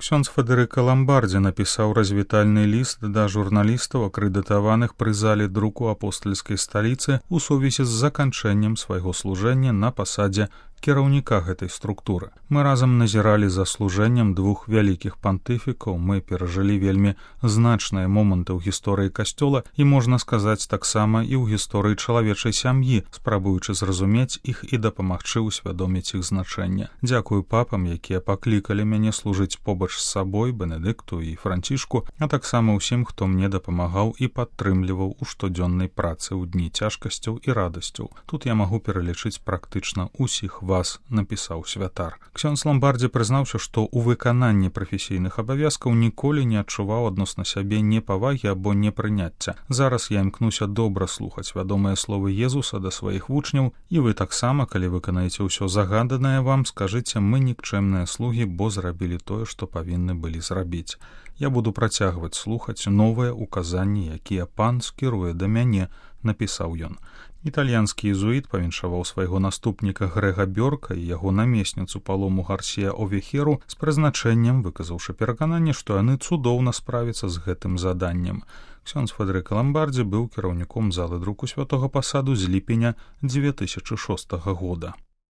Ксёндз Федэрыка Ламбардзі напісаў развітальны ліст да журналістаў, акрэдытаваных пры зале друку апостальскай сталіцы ў сувязі з заканчэннем свайго служэння на пасадзе кіраўніка гэтай структуры. Мы разам назіралі за служэннем двух вялікіх пантыфікаў, мы перажылі вельмі значныя моманты ў гісторыі касцёла і, можна сказаць, таксама і ў гісторыі чалавечай сям'і, спрабуючы зразумець іх і дапамагчы ўсвядоміць іх значэнне. Дзякую папам, якія паклікалі мяне служыць побач з сабой, Бенедыкту і Францішку, а таксама ўсім, хто мне дапамагаў і падтрымліваў у штодзённай працы ў дні цяжкасцяў і радасцяў. Тут я магу пералічыць практычна ўсіх вас, напісаў святар. Ксёндз Ламбардзі прызнаўся, што ў выкананні прафесійных абавязкаў ніколі не адчуваў адносна сябе непавагі або непрыняцця. Зараз я імкнуся добра слухаць вядомыя словы Езуса да сваіх вучняў, і вы таксама, калі выканаеце ўсё загаданае вам, скажыце, мы нікчэмныя слугі, бо зрабілі тое, што павінны былі зрабіць. Я буду працягваць слухаць новыя указанні, якія пан скіруе да мяне, напісаў ён. Італьянскі езуіт павіншаваў свайго наступніка Грэга Бёрка і яго намесніцу Палому Гарсія Овехеру з прызначэннем, выказаўшы перакананне, што яны цудоўна справяцца з гэтым заданнем. Ксёндз Федэрыка Ламбардзі быў кіраўніком залы друку Святога Пасаду з ліпеня 2006 года.